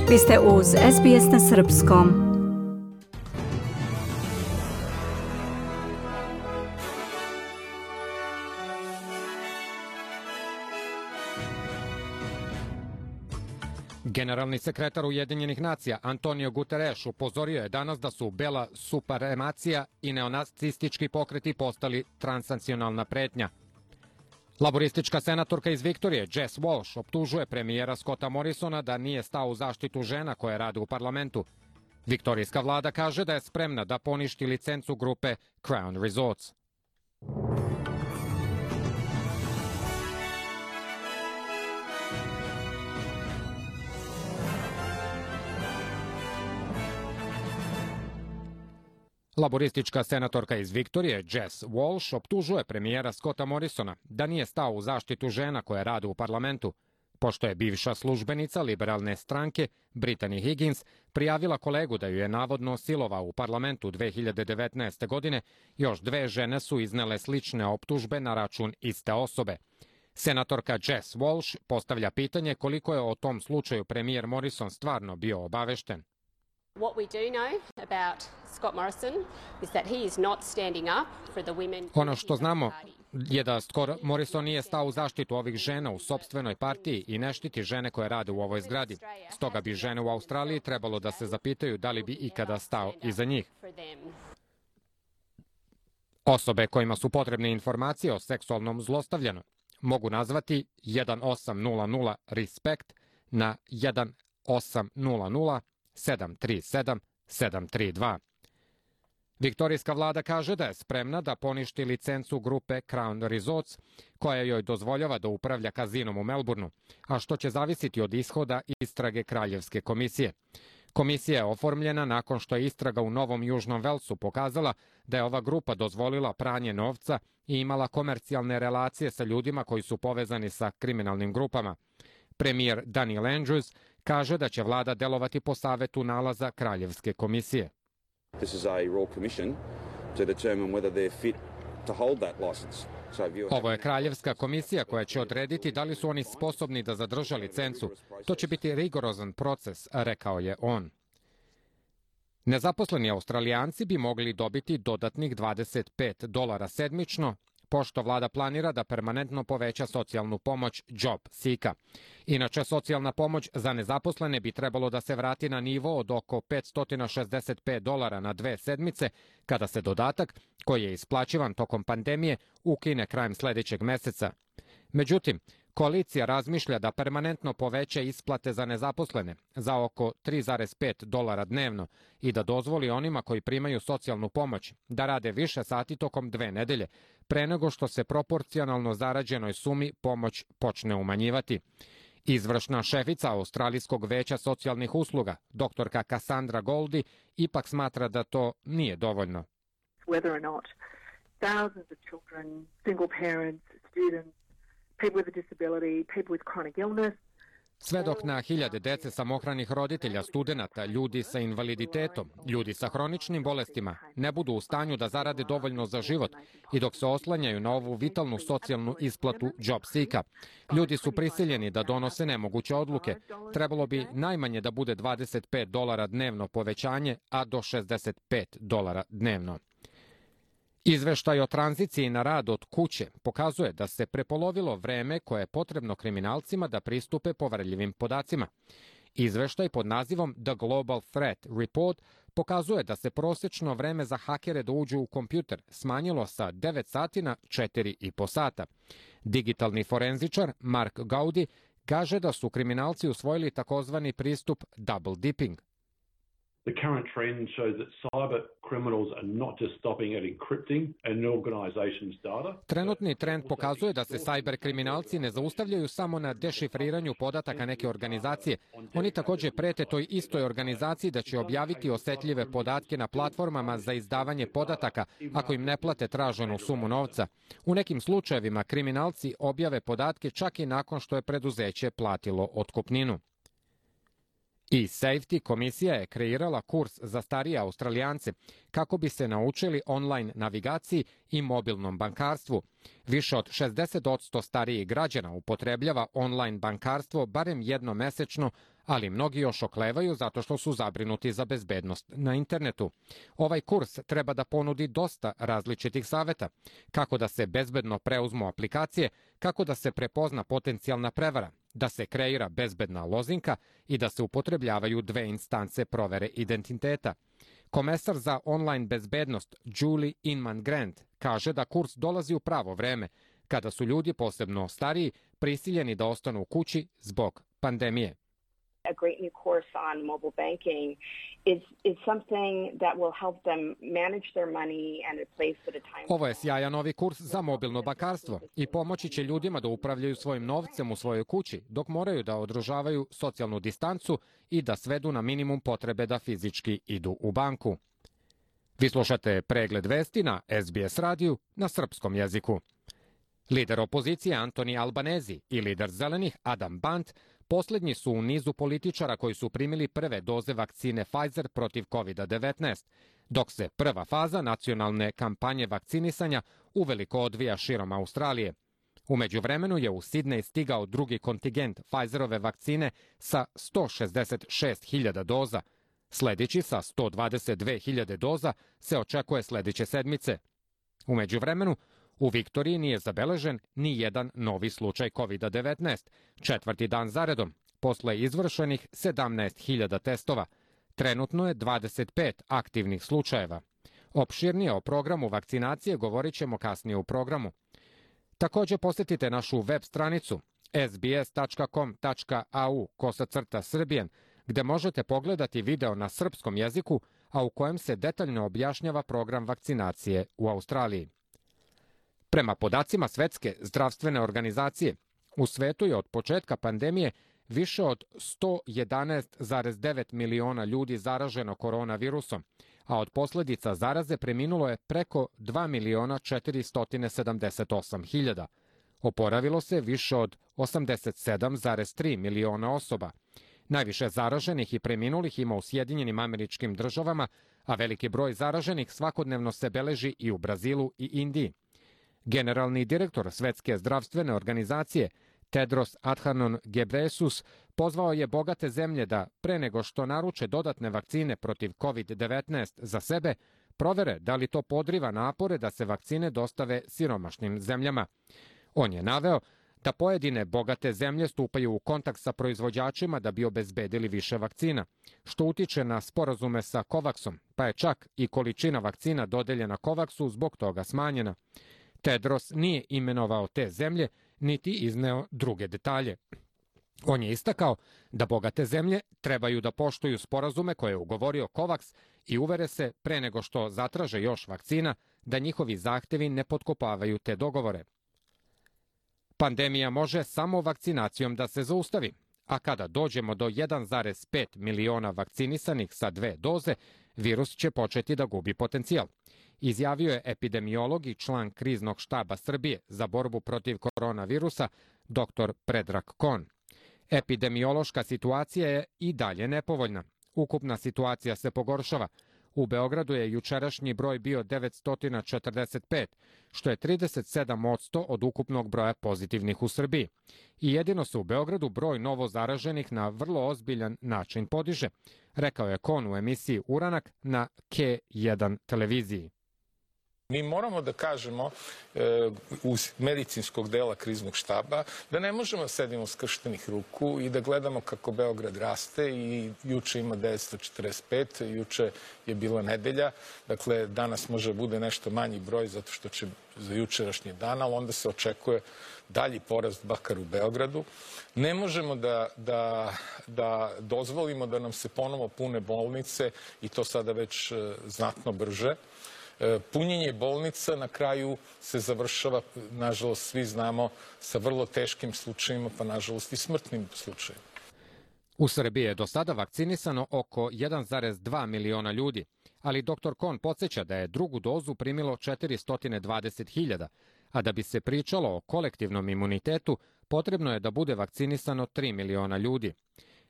Vi ste uz SBS na srpskom. Generalni sekretar Ujedinjenih nacija Antonio Guterres upozorio je danas da su bela supremacija i neonacistički pokreti postali transnacionalna pretnja. Laboristička senatorka iz Viktorije Jess Walsh optužuje premijera Scotta Morrisona da nije stao u zaštitu žena koje rade u parlamentu. Viktorijska vlada kaže da je spremna da poništi licencu grupe Crown Resorts. Laboristička senatorka iz Viktorije Jess Walsh optužuje premijera Scotta Morrisona da nije stao u zaštitu žena koje rade u parlamentu, pošto je bivša službenica liberalne stranke Brittany Higgins prijavila kolegu da ju je navodno silovao u parlamentu 2019. godine. Još dve žene su iznele slične optužbe na račun iste osobe. Senatorka Jess Walsh postavlja pitanje koliko je o tom slučaju premijer Morrison stvarno bio obavešten. What we do know about Scott Morrison is that he is not standing up for the women. Ono što znamo je da Scott Morrison nije stao u zaštitu ovih žena u sopstvenoj partiji i ne štiti žene koje rade u ovoj zgradi. Stoga bi žene u Australiji trebalo da se zapitaju da li bi ikada stao iza njih. Osobe kojima su potrebne informacije o seksualnom zlostavljanju mogu nazvati 1800 RESPECT na 1800 737 732. Viktorijska vlada kaže da je spremna da poništi licencu grupe Crown Resorts, koja joj dozvoljava da upravlja kazinom u Melbourneu, a što će zavisiti od ishoda istrage Kraljevske komisije. Komisija je oformljena nakon što je istraga u Novom Južnom Velsu pokazala da je ova grupa dozvolila pranje novca i imala komercijalne relacije sa ljudima koji su povezani sa kriminalnim grupama. Premijer Daniel Andrews kaže da će vlada delovati po savetu nalaza Kraljevske komisije. Ovo je Kraljevska komisija koja će odrediti da li su oni sposobni da zadrže licencu. To će biti rigorozan proces, rekao je on. Nezaposleni Australijanci bi mogli dobiti dodatnih $25 sedmično, pošto vlada planira da permanentno poveća socijalnu pomoć Job Seeka. Inače, socijalna pomoć za nezaposlene bi trebalo da se vrati na nivo od oko $565 na 2 sedmice, kada se dodatak, koji je isplaćivan tokom pandemije, ukine krajem sledećeg meseca. Međutim, koalicija razmišlja da permanentno poveća isplate za nezaposlene za oko $3,5 dnevno i da dozvoli onima koji primaju socijalnu pomoć da rade više sati tokom 2 nedelje, pre nego što se proporcionalno zarađenoj sumi pomoć počne umanjivati. Izvršna šefica Australijskog veća socijalnih usluga, doktorka Cassandra Goldie, ipak smatra da to nije dovoljno. Whether or not thousands of children, single parents, students, people with a disability, people with chronic illness. Sve dok na hiljade dece samohranih roditelja, studenata, ljudi sa invaliditetom, ljudi sa hroničnim bolestima ne budu u stanju da zarade dovoljno za život i dok se oslanjaju na ovu vitalnu socijalnu isplatu Job Seeka, ljudi su prisiljeni da donose nemoguće odluke. Trebalo bi najmanje da bude $25 dnevno povećanje, a do $65 dnevno. Izveštaj o tranziciji na rad od kuće pokazuje da se prepolovilo vreme koje je potrebno kriminalcima da pristupe poverljivim podacima. Izveštaj pod nazivom The Global Threat Report pokazuje da se prosečno vreme za hakere da uđu u kompjuter smanjilo sa 9 sati na 4,5 sata. Digitalni forenzičar Mark Gowdy kaže da su kriminalci usvojili takozvani pristup double dipping. The current trend shows that cyber criminals are not just stopping at encrypting an organization's data. Trenutni trend pokazuje da se cyber kriminalci ne zaustavljaju samo na dešifriranju podataka neke organizacije. Oni takođe prete toj istoj organizaciji da će objaviti osetljive podatke na platformama za izdavanje podataka ako im ne plate traženu sumu novca. U nekim slučajevima kriminalci objave podatke čak i nakon što je preduzeće platilo otkupninu. E-Safety komisija je kreirala kurs za starije Australijance kako bi se naučili online navigaciji i mobilnom bankarstvu. Više od 60% starijih građana upotrebljava online bankarstvo barem jednom mesečno, ali mnogi još oklevaju zato što su zabrinuti za bezbednost na internetu. Ovaj kurs treba da ponudi dosta različitih saveta, kako da se bezbedno preuzmu aplikacije, kako da se prepozna potencijalna prevara, da se kreira bezbedna lozinka i da se upotrebljavaju dve instance provere identiteta. Komesar za online bezbednost Julie Inman Grant kaže da kurs dolazi u pravo vreme, kada su ljudi, posebno stariji, prisiljeni da ostanu u kući zbog pandemije. A great new course on mobile banking is something that will help them manage their money and a place at a time. Ovo je sjajan novi kurs za mobilno bankarstvo i pomoći će ljudima da upravljaju svojim novcem u svojoj kući, dok moraju da održavaju socijalnu distancu i da svedu na minimum potrebe da fizički idu u banku. Vi slušate pregled vesti na SBS radiju na srpskom jeziku. Lider opozicije Antoni Albanezi i lider zelenih Adam Bant poslednji su u nizu političara koji su primili prve doze vakcine Pfizer protiv COVID-19, dok se prva faza nacionalne kampanje vakcinisanja uveliko odvija širom Australije. U međuvremenu je u Sidnej stigao drugi kontingent Pfizerove vakcine sa 166.000 doza. Sledeći sa 122.000 doza se očekuje sledeće sedmice. U međuvremenu, u Viktoriji nije zabeležen ni jedan novi slučaj COVID-19, četvrti dan zaredom, posle izvršenih 17.000 testova. Trenutno je 25 aktivnih slučajeva. Opširnije o programu vakcinacije govorit ćemo kasnije u programu. Također posjetite našu web stranicu sbs.com.au/Srbijan, gde možete pogledati video na srpskom jeziku, a u kojem se detaljno objašnjava program vakcinacije u Australiji. Prema podacima Svetske zdravstvene organizacije, u svetu je od početka pandemije više od 111,9 miliona ljudi zaraženo koronavirusom, a od posljedica zaraze preminulo je preko 2.478.000. Oporavilo se više od 87,3 miliona osoba. Najviše zaraženih i preminulih ima u Sjedinjenim Američkim Državama, a veliki broj zaraženih svakodnevno se beleži i u Brazilu i Indiji. Generalni direktor Svetske zdravstvene organizacije Tedros Adhanom Ghebreyesus pozvao je bogate zemlje da, pre nego što naruče dodatne vakcine protiv COVID-19 za sebe, provere da li to podriva napore da se vakcine dostave siromašnim zemljama. On je naveo da pojedine bogate zemlje stupaju u kontakt sa proizvođačima da bi obezbedili više vakcina, što utiče na sporazume sa COVAX-om, pa je čak i količina vakcina dodeljena COVAX-u zbog toga smanjena. Tedros nije imenovao te zemlje, niti izneo druge detalje. On je istakao da bogate zemlje trebaju da poštuju sporazume koje je ugovorio COVAX i uvere se, pre nego što zatraže još vakcina, da njihovi zahtevi ne potkopavaju te dogovore. Pandemija može samo vakcinacijom da se zaustavi, a kada dođemo do 1,5 miliona vakcinisanih sa 2 doze, virus će početi da gubi potencijal, izjavio je epidemiolog i član kriznog štaba Srbije za borbu protiv koronavirusa, dr. Predrag Kon. Epidemiološka situacija je i dalje nepovoljna. Ukupna situacija se pogoršava. U Beogradu je jučerašnji broj bio 945, što je 37% od ukupnog broja pozitivnih u Srbiji. I jedino se u Beogradu broj novo zaraženih na vrlo ozbiljan način podiže, rekao je Kon u emisiji Uranak na K1 televiziji. Mi moramo da kažemo uz medicinskog dela kriznog štaba da ne možemo da sedimo skrštenih ruku i da gledamo kako Beograd raste i juče ima 945, juče je bila nedelja, dakle danas može da bude nešto manji broj zato što će za jučerašnji dan, ali onda se očekuje dalji porast bakar u Beogradu. Ne možemo da dozvolimo da nam se ponovo pune bolnice i to sada već znatno brže. Punjenje bolnica na kraju se završava, nažalost svi znamo, sa vrlo teškim slučajima, pa nažalost i smrtnim slučajima. U Srbiji je do sada vakcinisano oko 1,2 miliona ljudi, ali dr. Kon podsjeća da je drugu dozu primilo 420.000, a da bi se pričalo o kolektivnom imunitetu, potrebno je da bude vakcinisano 3 miliona ljudi.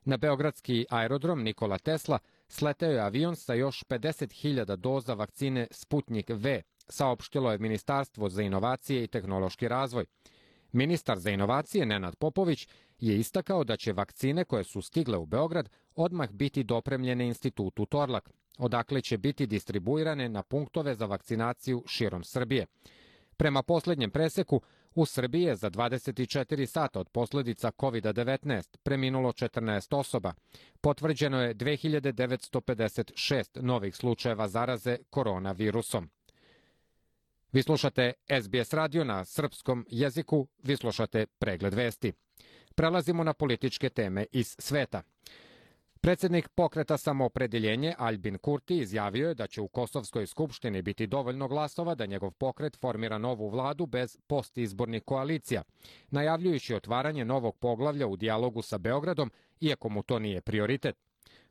Na beogradski aerodrom Nikola Tesla sleteo je avion sa još 50.000 doza vakcine Sputnik V, saopštilo je Ministarstvo za inovacije i tehnološki razvoj. Ministar za inovacije Nenad Popović je istakao da će vakcine koje su stigle u Beograd odmah biti dopremljene institutu Torlak, odakle će biti distribuirane na punktove za vakcinaciju širom Srbije. Prema poslednjem preseku, u Srbiji je za 24 sata od posledica COVID-19 preminulo 14 osoba. Potvrđeno je 2956 novih slučajeva zaraze koronavirusom. Vi slušate SBS radio na srpskom jeziku, vi slušate pregled vesti. Prelazimo na političke teme iz sveta. Predsjednik Pokreta Samoopredeljenje Albin Kurti izjavio je da će u Kosovskoj skupštini biti dovoljno glasova da njegov pokret formira novu vladu bez postizbornih koalicija, najavljujući otvaranje novog poglavlja u dijalogu sa Beogradom, iako mu to nije prioritet.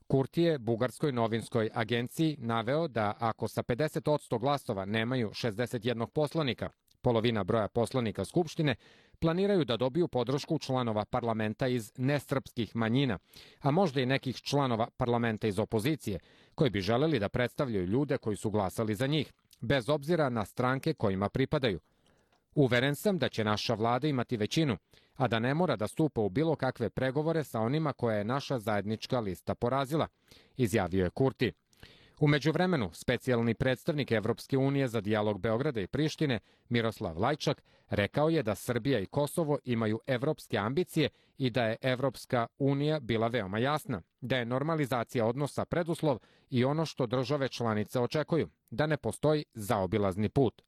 Kurti je bugarskoj novinskoj agenciji naveo da ako sa 50% glasova nemaju 61 poslanika, polovina broja poslanika Skupštine, planiraju da dobiju podršku članova parlamenta iz nesrpskih manjina, a možda i nekih članova parlamenta iz opozicije, koji bi želeli da predstavljaju ljude koji su glasali za njih, bez obzira na stranke kojima pripadaju. Uveren sam da će naša vlada imati većinu, a da ne mora da stupa u bilo kakve pregovore sa onima koje je naša zajednička lista porazila, izjavio je Kurti. U međuvremenu, specijalni predstavnik Evropske unije za dijalog Beograda i Prištine, Miroslav Lajčak, rekao je da Srbija i Kosovo imaju evropske ambicije i da je Evropska unija bila veoma jasna, da je normalizacija odnosa preduslov i ono što države članice očekuju, da ne postoji zaobilazni put.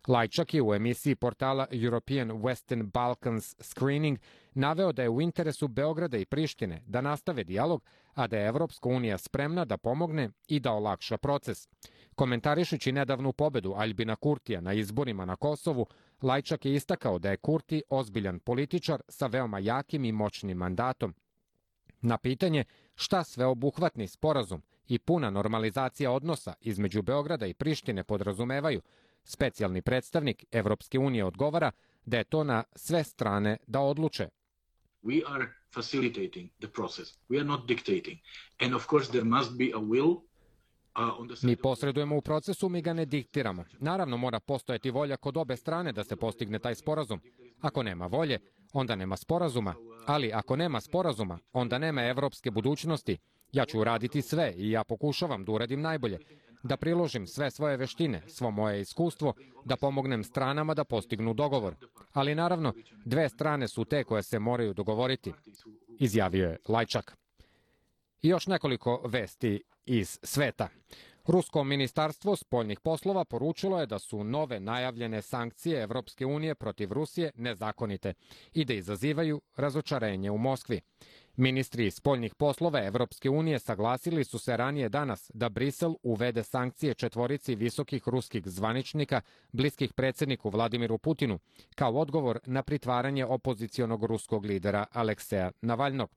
Lajčak je u emisiji portala European Western Balkans Screening naveo da je u interesu Beograda i Prištine da nastave dijalog, a da je Evropska unija spremna da pomogne i da olakša proces. Komentarišući nedavnu pobedu Albina Kurtija na izborima na Kosovu, Lajčak je istakao da je Kurti ozbiljan političar sa veoma jakim i moćnim mandatom. Na pitanje šta sveobuhvatni sporazum i puna normalizacija odnosa između Beograda i Prištine podrazumevaju, specijalni predstavnik Evropske unije odgovara da je to na sve strane da odluče. We are facilitating the process. We are not dictating. And of course there must be a will. Mi posredujemo u procesu, mi ga ne diktiramo. Naravno, mora postojati volja kod obe strane da se postigne taj sporazum. Ako nema volje, onda nema sporazuma. Ali ako nema sporazuma, onda nema evropske budućnosti. Ja ću uraditi sve i ja pokušavam da uradim najbolje. Da priložim sve svoje veštine, svo moje iskustvo, da pomognem stranama da postignu dogovor. Ali naravno, dve strane su te koje se moraju dogovoriti, izjavio je Lajčak. I još nekoliko vesti iz sveta. Rusko ministarstvo spoljnih poslova poručilo je da su nove najavljene sankcije Evropske unije protiv Rusije nezakonite i da izazivaju razočarenje u Moskvi. Ministri spoljnih poslova Evropske unije saglasili su se ranije danas da Brisel uvede sankcije četvorici visokih ruskih zvaničnika bliskih predsjedniku Vladimiru Putinu, kao odgovor na pritvaranje opozicionog ruskog lidera Alekseja Navalnog.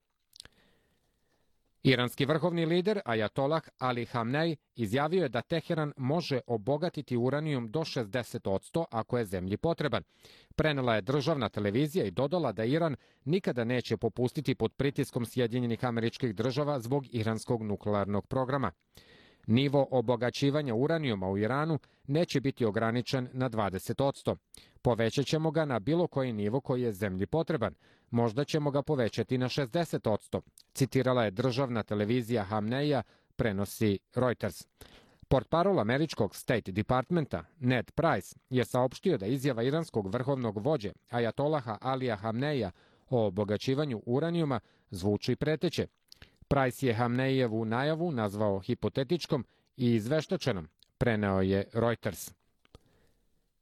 Iranski vrhovni lider Ajatolah Ali Hamnej izjavio je da Teheran može obogatiti uranijum do 60% ako je zemlji potreban. Prenela je državna televizija i dodala da Iran nikada neće popustiti pod pritiskom Sjedinjenih Američkih Država zbog iranskog nuklearnog programa. Nivo obogaćivanja uranijuma u Iranu neće biti ograničen na 20%. Povećat ćemo ga na bilo koji nivo koji je zemlji potreban. Možda ćemo ga povećati na 60%, citirala je državna televizija Hamneja, prenosi Reuters. Portparol američkog State Departmenta Ned Price je saopštio da izjava iranskog vrhovnog vođe Ajatolaha Alija Hamneja o obogaćivanju uranijuma zvuči preteće. Price je Hamnejevu najavu nazvao hipotetičkom i izveštačenom, preneo je Reuters.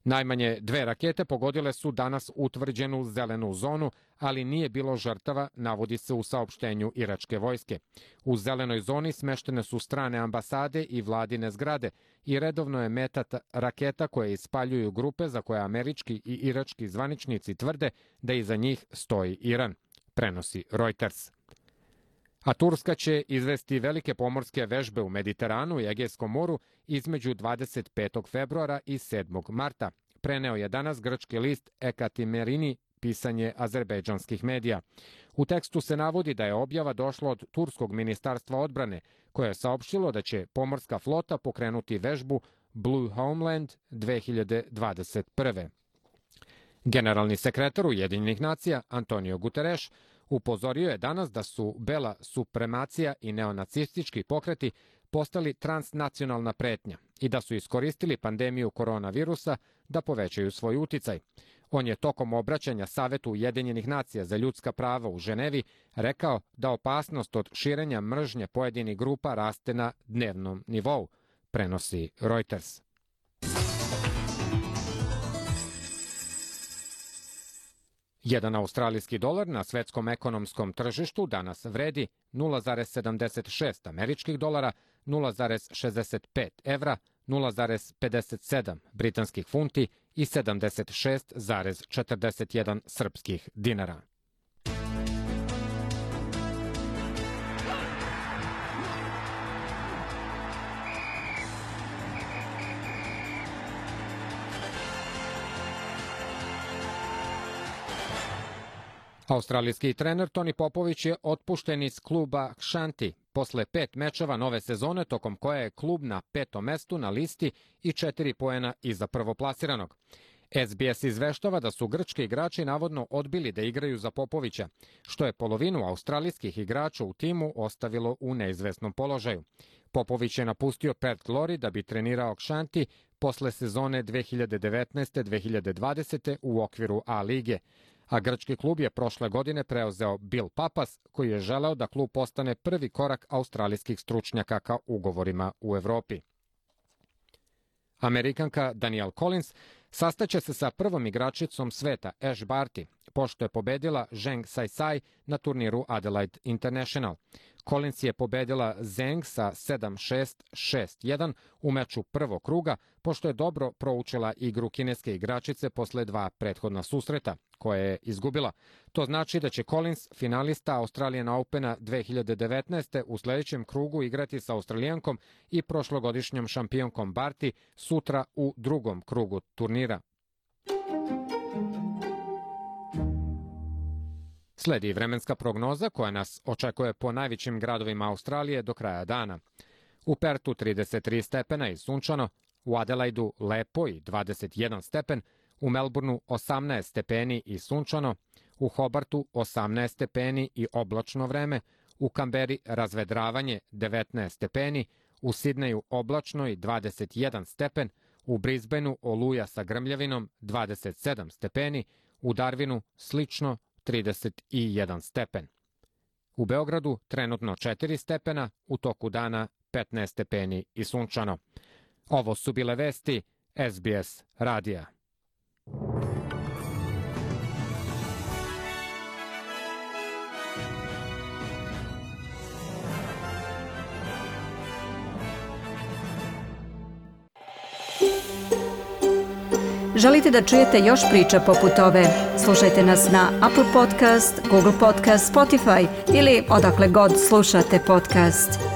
Najmanje 2 rakete pogodile su danas utvrđenu zelenu zonu, ali nije bilo žrtava, navodi se u saopštenju iračke vojske. U zelenoj zoni smeštene su strane ambasade i vladine zgrade i redovno je meta raketa koje ispaljuju grupe za koje američki i irački zvaničnici tvrde da iza njih stoji Iran, prenosi Reuters. A Turska će izvesti velike pomorske vežbe u Mediteranu i Egejskom moru između 25. februara i 7. marta. Preneo je danas grčki list Ekatimerini pisanje azerbejdžanskih medija. U tekstu se navodi da je objava došla od Turskog ministarstva odbrane, koje je saopštilo da će pomorska flota pokrenuti vežbu Blue Homeland 2021. Generalni sekretar Ujedinjenih nacija Antonio Guterres upozorio je danas da su bela supremacija i neonacistički pokreti postali transnacionalna pretnja i da su iskoristili pandemiju koronavirusa da povećaju svoj uticaj. On je tokom obraćanja Savetu Ujedinjenih nacija za ljudska prava u Ženevi rekao da opasnost od širenja mržnje pojedinih grupa raste na dnevnom nivou, prenosi Reuters. Jedan australijski dolar na svetskom ekonomskom tržištu danas vredi 0,76 američkih dolara, 0,65 evra, 0,57 britanskih funti i 76,41 srpskih dinara. Australijski trener Toni Popović je otpušten iz kluba Kshanti posle 5 mečeva nove sezone, tokom koje je klub na 5. mestu na listi i 4 poena iza prvoplasiranog. SBS izveštava da su grčki igrači navodno odbili da igraju za Popovića, što je polovinu australijskih igrača u timu ostavilo u neizvesnom položaju. Popović je napustio Perth Glory da bi trenirao Kshanti posle sezone 2019-2020 u okviru A lige, a grčki klub je prošle godine preuzeo Bill Papas, koji je želeo da klub postane prvi korak australijskih stručnjaka ka ugovorima u Evropi. Amerikanka Danielle Collins sastaće se sa prvom igračicom sveta Ash Barty, pošto je pobedila Zheng Saisai na turniru Adelaide International. Collins je pobedila Zheng sa 7-6, 6-1 u meču prvog kruga, pošto je dobro proučila igru kineske igračice posle 2 prethodna susreta, koje je izgubila. To znači da će Collins, finalista Australian Opena 2019. u sljedećem krugu igrati sa Australijankom i prošlogodišnjom šampionkom Barty sutra u drugom krugu turnira. Sledi vremenska prognoza koja nas očekuje po najvećim gradovima Australije do kraja dana. U Pertu 33 stepena i sunčano, u Adelaidu lepo i 21 stepen, u Melbourneu 18 stepeni i sunčano, u Hobartu 18 stepeni i oblačno vreme, u Kamberi razvedravanje 19 stepeni, u Sidneju oblačno i 21 stepen, u Brisbaneu oluja sa grmljavinom 27 stepeni, u Darwinu slično 31 stepen. U Beogradu trenutno 4 stepena, u toku dana 15 stepeni i sunčano. Ovo su bile vesti SBS radija. Želite da čujete još priča poput ove? Slušajte nas na Apple Podcast, Google Podcast, Spotify ili odakle god slušate podcast.